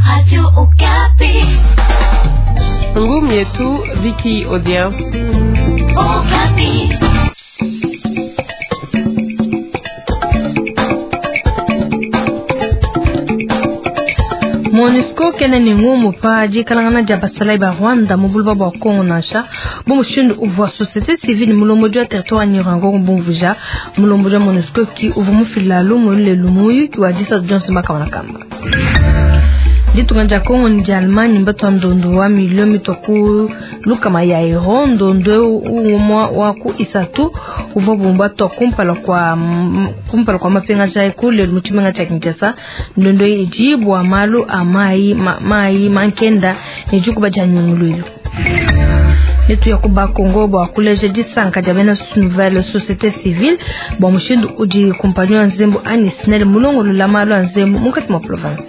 Radio Okapi. Ngumu yetu Vicky Odia. Okapi. MONUSCO kena ne ngumu pa dikalangana dia basalayi ba Rwanda mu buloba bua Congo nansha bu mushindu uvua société civile mulombodi wa territoire wa Nyiragongo bumvuija. Mulombodi wa MONUSCO ki uvua mufila lumu lelu muyuki wa disatu dionso makamba na kamba. Ditunga dia Congo ne dia Allemagne mbatua ndondo wa milio mitua ku lukama ya euro. Ndondo eu umua wa ku isatu uvua bumbatua kumpala kwa kumpala kwa mapingaja eku lelu mu tshimenga tshia Kinshasa. Ndondo eyi idi bua malu a mayi ma, mayi mankenda ne dikuba dia nyunguluilu. Netuya ku Bakongo bua kuleja disanka dia bena nouvelle société civile bua mushindu udi kumpanyi wa nzembu anyi SNEL mulongolola malu a nzembu munkatshi mua province.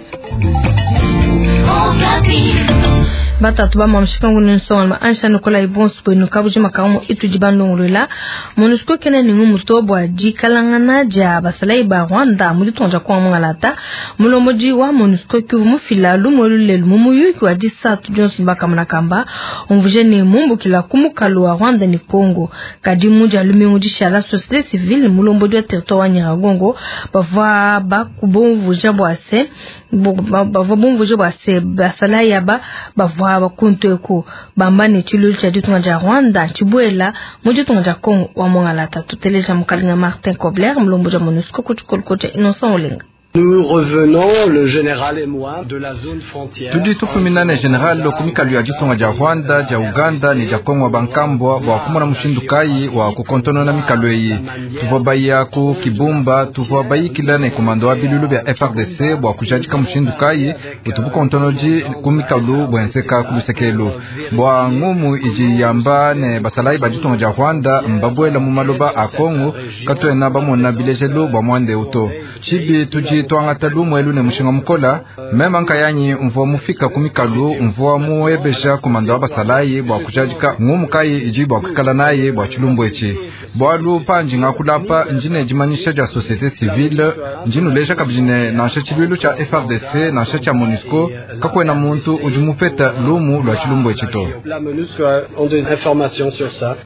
Batatu ba mamushikangu ne nsonga ansha Nikolai bonso bwenu kabujima kamu itudi bandongolola. MONUSCO kena ne ngumuto bua dikalangana dia basalayi ba Rwanda mu ditunga dia Kongo mungalata. Mulombodi wa MONUSCO ki mufila lumu lelu mu muyuki wa disatu dionso bakamona kamba umvuje ne mumbukila ku mukalu wa Rwanda ne Congo. Kadi mu dia lumingu dishala société civile mulombodi wa territoire wa Nyiragongo bavua bakubumvuja bua se bavua bumvuja bua se basalayi aba bavua bakuntu eku bamba ne tshilulu tshia ditunga dia Rwanda tshibuela mu ditunga dia Congo wa mungalata. Tuteleja mukalenga Martin Kobler mulombodi wa MONUSCO ku tshikoloko tshia Innocent Olenga. Nous revenons, le général et moi, de la zone frontière. Tudi tufumina ne général ku mikalu ya ditunga dia Rwanda, dia Uganda ne dia Kongo bankambwa bua kumona mushindu kayi wa kukontonona mikalu eyi. Tuvua baya ku Kibumba, tuvua bayikila ne komando wa bilulu bia FARDC bua kujadika mushindu kayi utu bukontonodi ku mikalu buenzeka ku lusekelu. Bua ngumu idi yamba ne basalayi ba ditunga dia Rwanda mbabuela mu maloba a Kongo, katuena bamona bilejelu bua muanda eu to. Tshibi tudi twangata lumu elu ne mushinga mukola. Mema nkayanyi mvua mufika ku mikalu, mvua muebesha komando wa basalayi bua kujadika ngumu kayi idi bua kuikala nayi bua tshilumbu etshi. Bualu panji ngakulapa ndi ne dimanyisha dia société civile, ndi nuleja kabidi ne nansha tshiluilu tshia FARDC nansha tshia MONUSCO kakuena muntu udi mupeta lumu lua tshilumbu etshi to. La MONUSCO a des informations sur ça.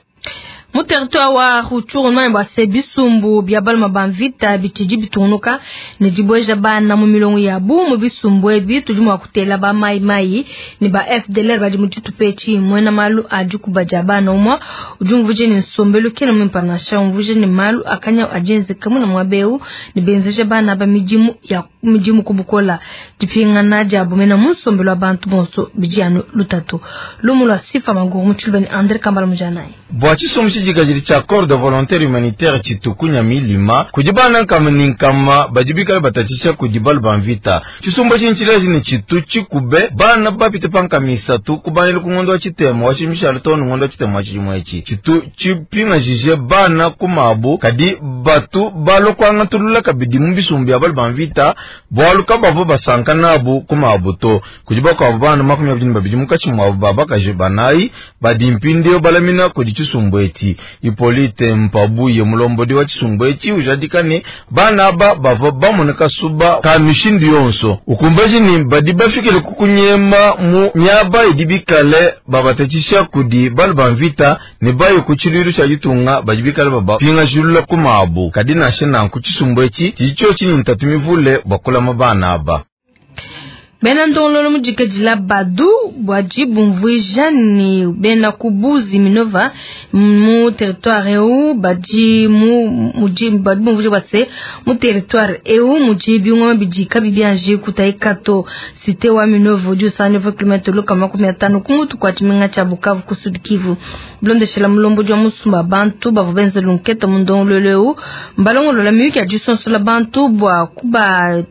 Mu territoire wa Rutshuru bua se bisumbu bia baluma ba mvita bitshidi bitungunuka ne dibueja bana mu milongo yabu. Mu bisumbu ebi tudi mua kutela ba mai mai ne ba FDLR badi mu tshitupa etshi. Muena malu a dikuba dia bana umua udi umvuje ne nsombelu kena muimpe nansha, umvuje ne malu akanya adienzeka muna muaba eu ne benzeja bana ba midimu ya midimu kubukola. Dipingana diabu mena mu nsombelu wa bantu bonso bidi anu lutatu. Lumu lua Sifa Maguru mu tshiluba ne Andre Kambala Mujanayi. Bua tshisumbu tshidikadidi tshia corps de volontaire humanitaire tshitukunya milima kudi bana nkama ne nkama badi bikale batatshisha kudi balu ba mvita. Tshisumbu etshi ntshileji ne tshitu tshikube bana bapite pa nkama isatu kubangila ku ngondo wa tshitema wa tshimishalo too ne ngondo wa tshitema wa tshidimu etshi. Tshitu tshipingajije bana ku mabu, kadi batu balua kuangatulula kabidi mu bisumbu bia balu ba mvita bualu kabavua basanka nabu ku mabu to. Kudi bakuabu bana 22 munkatshi muabu ba bakaji banayi badi mpindieu balamina kudi tshisumbu etshi. Hippolyte Mpabuye mulombodi wa tshisumbu etshi ujadika ne bana aba bavua bamona kasuba ka mishindu yonso, ukumbaji ne badi bafikile ku kunyema mu miaba idi bikale babatatshisha kudi balu ba mvita ne baye ku tshiluilu tshia ditunga badi bikale babapingajilula ku mabu. Kadi nansha nanku tshisumbu etshi tshidi tshiotshi ne ntatu mivule bua kulama bana aba. Bena ndongololo mudikadila badu bwadi bumvuija ne bena kubuzi Minova mu territoire eu badi mu mudi badi bumvuija bua se mu territoire eu mudi bingoma bidi kabi bianji kutaikato. Cité wa Minova udi usanga kilomita lukama 50 ku mutu kwa tshimenga tshia Bukavu ku Sud Kivu. Bilondeshela mulombodi wa musumba bantu bavua benza lunketa mu ndongololo eu mbalongolola miyuki ya disonsola bantu bua kuba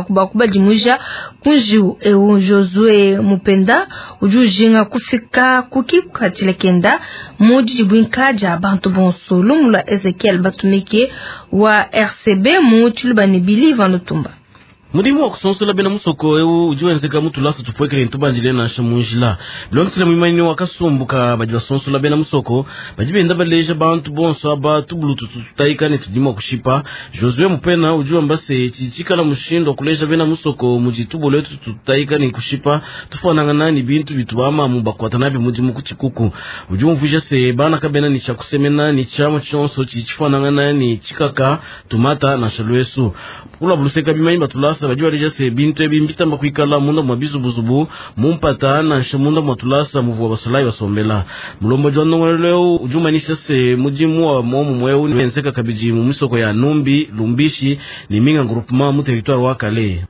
bua kubadimuja kunjiu eu. Josue Mupenda udi ujinga kufika kukikatshila kenda mu didibwinka dia bantu bonso. Lumu lua Ezekiel Batumike wa RCB mu tshiluba ne Billy Van Lutumba. Mudimu wa kusonsola bena musoko eu udi wenzeka mu tulasa tupuekele ne tubandile nansha mu njila. Bilondeshile muimanyinyi wa kasumbu ka badi basonsola bena musoko, badi benda baleja bantu bonso aba tubulu tutu tutayika ne tudi mua kushipa. Josue Mupena udi wamba se tshidi tshikala mushindu wa kuleja bena musoko mudi tubulu etu tutayika ne kushipa tufuanangana ne bintu bitu bamamu bakuata nabi mudimu ku tshikuku. Udi umvuija se bana kabena ne tshia kusemena ne tshiamua tshionso tshidi tshifuanangana ne tshikaka, tumata nansha luesu. Ku luabu luseka bimanyi ba tulasa badi baleja se bintu ebi mbitamba kuikala munda mua bizubuzubu, mu mpata nansha munda mua tulasa muvua basolayi basombela. Mulombodi wa ndongoluelu eu udi umanyisha se mudimu wa muomumue eu wenzeka kabidi mu misoko ya Numbi, Lumbishi ne minga groupement mu territoire wa Kalehe.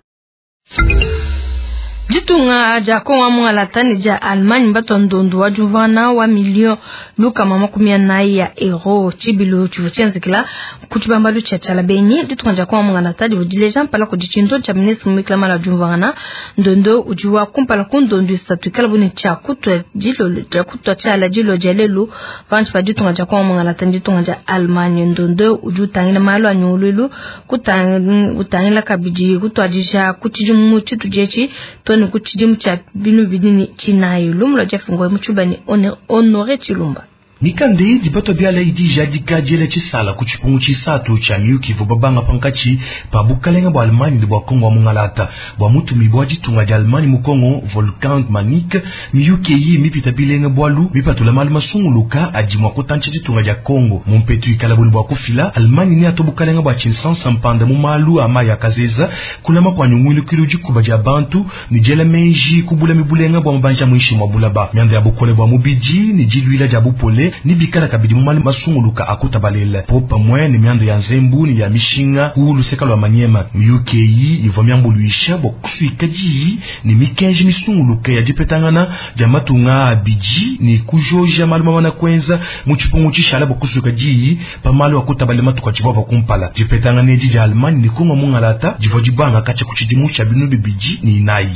Ditunga dia Kongo wa mungalata ne dia Allemagne mbatua ndondu wa diumvuangana wa milio 440 ya euro. Tshibilu tshivua tshienzekela ku tshibambalu tshia Tshialabenyi. Ditunga dia Kongo wa mungalata divua dileja mpala kudi tshintu tshia ministre muikila malu a diumvuangana. Ndondo udi wa kumpala ku ndondu isatu ikala bu ne tshia kutua dilolo tshia kutua tshiala dilolo dia lelu pantshi pa ditunga dia Kongo wa mungalata ne ditunga dia Allemagne. Ndondo udi utangila malu a nyunguluilu kutangila kabidi kutuadija ku tshidimu tshitudi etshi to ne ku tshidimu tshia 2024. Lumu lua Jeff Ngoy mu Tshiluba ne Honore Tshilumba. Mikanda eyi batua biala idi ijadika diela tshisala ku tshipungu tshisatu tshia miyuki ivua babanga pankatshi pa bukalenga bua Allemagne ne bua Kongo wa mungalata. Bua mutumibue wa ditunga dia Allemagne mu Kongo, Wolfgang Manik, miyuki eyi mipita bilenga bualu mipatula malu masunguluka adi mua kutantsha ditunga dia Kongo. Mu mpetu ikala buni bua kufila, Allemagne neatua bukalenga bua tshinsansa mpanda mu malu a mayi a kazeza, kulama kua nyungulukilu, dikuba dia bantu ne diela meji ku bulami bulenga bua mabanji a muinshi mua bulaba, mianda ya bukole bua mubidi ne diluila dia bupole ne bikala kabidi mu malu masunguluka a kutabalela popamue ne mianda ya nzembu ne ya mishinga ku luseka lua Maniema. Miyuki eyi ivua miambuluisha bua kusuika diyi ne mikenji misunguluke ya dipetangana dia matunga abidi ne kujoja malu mamana kuenza mu tshipungu tshishala bua kusuika diyi pa malu a kutabalela matuku atshivua kumpala. Dipetangana edi dia Allemagne ne Kongo mungalata divua dibanga katshia ku tshidimu tshia 2004.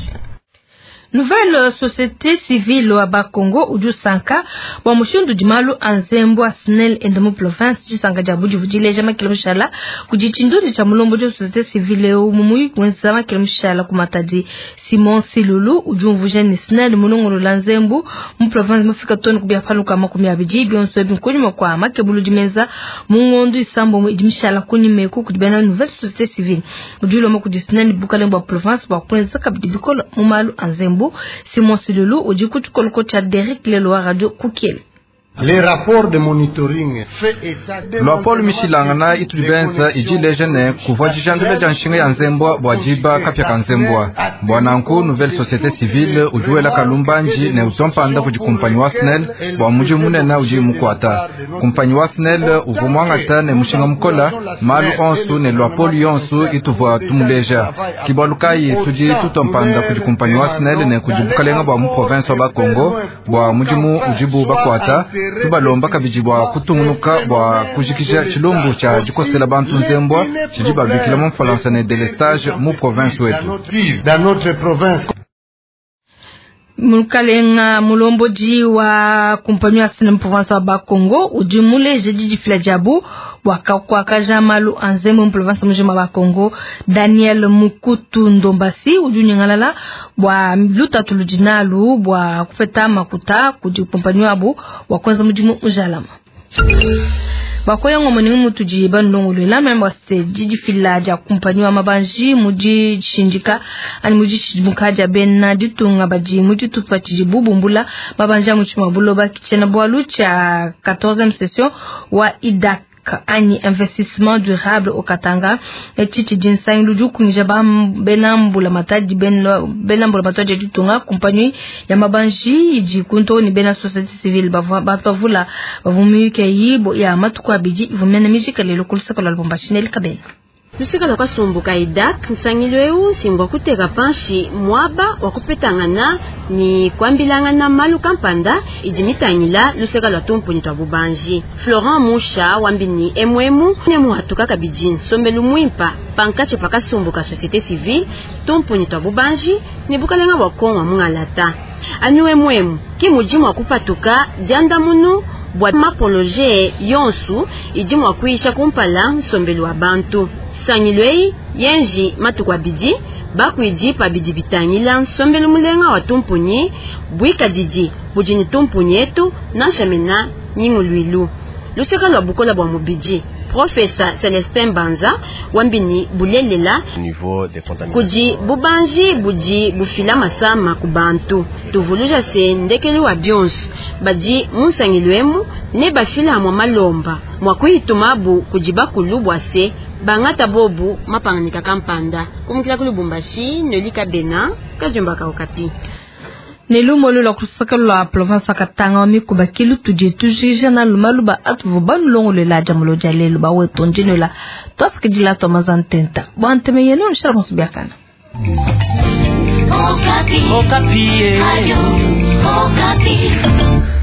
Nouvelle société civile wa Bakongo udi usanka bua mushindu udi malu a nzembu a SNEL enda mu province. Disanka dia budi dileja makele mushala kudi tshindundu tshia mulombodi wa société civile eu mu muyuki wenza makele mushala ku Matadi. Simon Silulu udi umvuija ne SNEL mulongolola nzembu mu province mufika too ne ku biapaluka 20 bionso ebi nkunyima kua makebuludi menza mu ngondo 6 idi mishala kunyima eku kudi bena nouvelle société civile. Udi ulomba kudi SNEL bukalenge bua province bua kuenza kabidi bikole mu malu a nzembu. Simon Silulu udi ku tshikoloko tshia Derek Lelo wa radio Kukiele. Les rapports de monitoring fait état de Luapolo mishilangana itudi benza idi ileja ne kuvua dijandula dia nshinga ya nzembwa bua diba kapia ka nzembwa. Bua nanku nouvelle société civile udi wela kalumbanji ne utompanda kudi kumpanyi wa SNEL bua mudimu munene udi mukuata. Kumpanyi wa SNEL uvua muangata ne mushinga mukola malu onsu ne luapolo yonsu ituvua tumuleja. Kibalu kayi tudi tutompanda kudi kumpanyi wa SNEL ne kudi bukalenga bua mu province wa Bakongo bua mudimu udibu bakuata. Tubalomba kabidi bua kutungunuka bua kujikija tshilumbu tshia dikosela bantu nzembwa tshidi babikila mu Mfalansa ne delestage mu province wetu. Dans notre province. Mukalenga mulombodi wa kumpanyi ya SNEL province wa Bakongo udi muleje didifila diabu bua kuakaja malu a nzembu mu province mujima wa Bakongo. Daniel Mukutu Ndombasi udi unyingalala bua lutatu ludi nalu bua kupeta makuta kudi kumpanyi wabu bua kuenza mudimu mujalama. Bakoya ngomoni mutudi bandongoluela memba se didifila dia kumpanyi wa mabanji mudi shindika ani mudi shidimuka dia bena ditunga badi mudi tupa tshidi bubumbula mabanji a mutshima buloba kitshena bualu tshia 14e session wa IDAC anyi investissement durable au Katanga. Etshi tshidi nsangilu udi ukungisha ba bena mbula matadi bena mbula matadi ditunga kumpanyi ya mabanji idi kunto ni bena société civile bavua bavula bavumuyuke yibo ya matuku abidi ivumena mijika lelo kulusaka lwa Lubumbashi Neli Kabena. Lusika lwa kasumbuka IDAC nsangilu eu simbwa kuteka panshi mwaba wa kupetangana ni kwambilangana malu kampanda idi mitangila lusika lwa tumpuni twa bubanji. Florent Musha wambini emwemu ne muhatuka kabidi nsombelu mwimpa pankache pakasumbuka société civile tumpuni twa bubanji ne bukalenga bwa Kongo mungalata. Anu emwemu ki mudimu wa kupatuka diandamunu bwa mapoloje yonsu idi mwa kuisha kumpala nsombelu wa bantu. Sangilwei yenji matuku abidi Bakuidi pa bidi bitangila nsombelu mulenga wa tumpunyi buikadidi budi ne tumpunyi etu nansha mena nyinguluilu luseka lua bukola bua mubidi. Profesa Celestin Banza wambi ni bulelela kudi bubanji budi bufila masama ku bantu. Tuvuluja se ndekelu wa bionso badi mu nsangilu emu ne bafila mwa malomba mwa kuyitumabu kudi bakulu bua se bangata bobu mapanganika kampanda kumukila ku Lubumbashi Nolika Bena Kadiomba ka Okapi. Ne lumu lua kusaka lua province Katanga wa mikuba kilu tudi tujija na lumaluba atuvu banulongolela dia mulo dia lelu ba wetu ndinola twafikidila twa mazantenta bwa nteme yenu nshala musubiakana. Okapi. Okapi. Ayo, Okapi.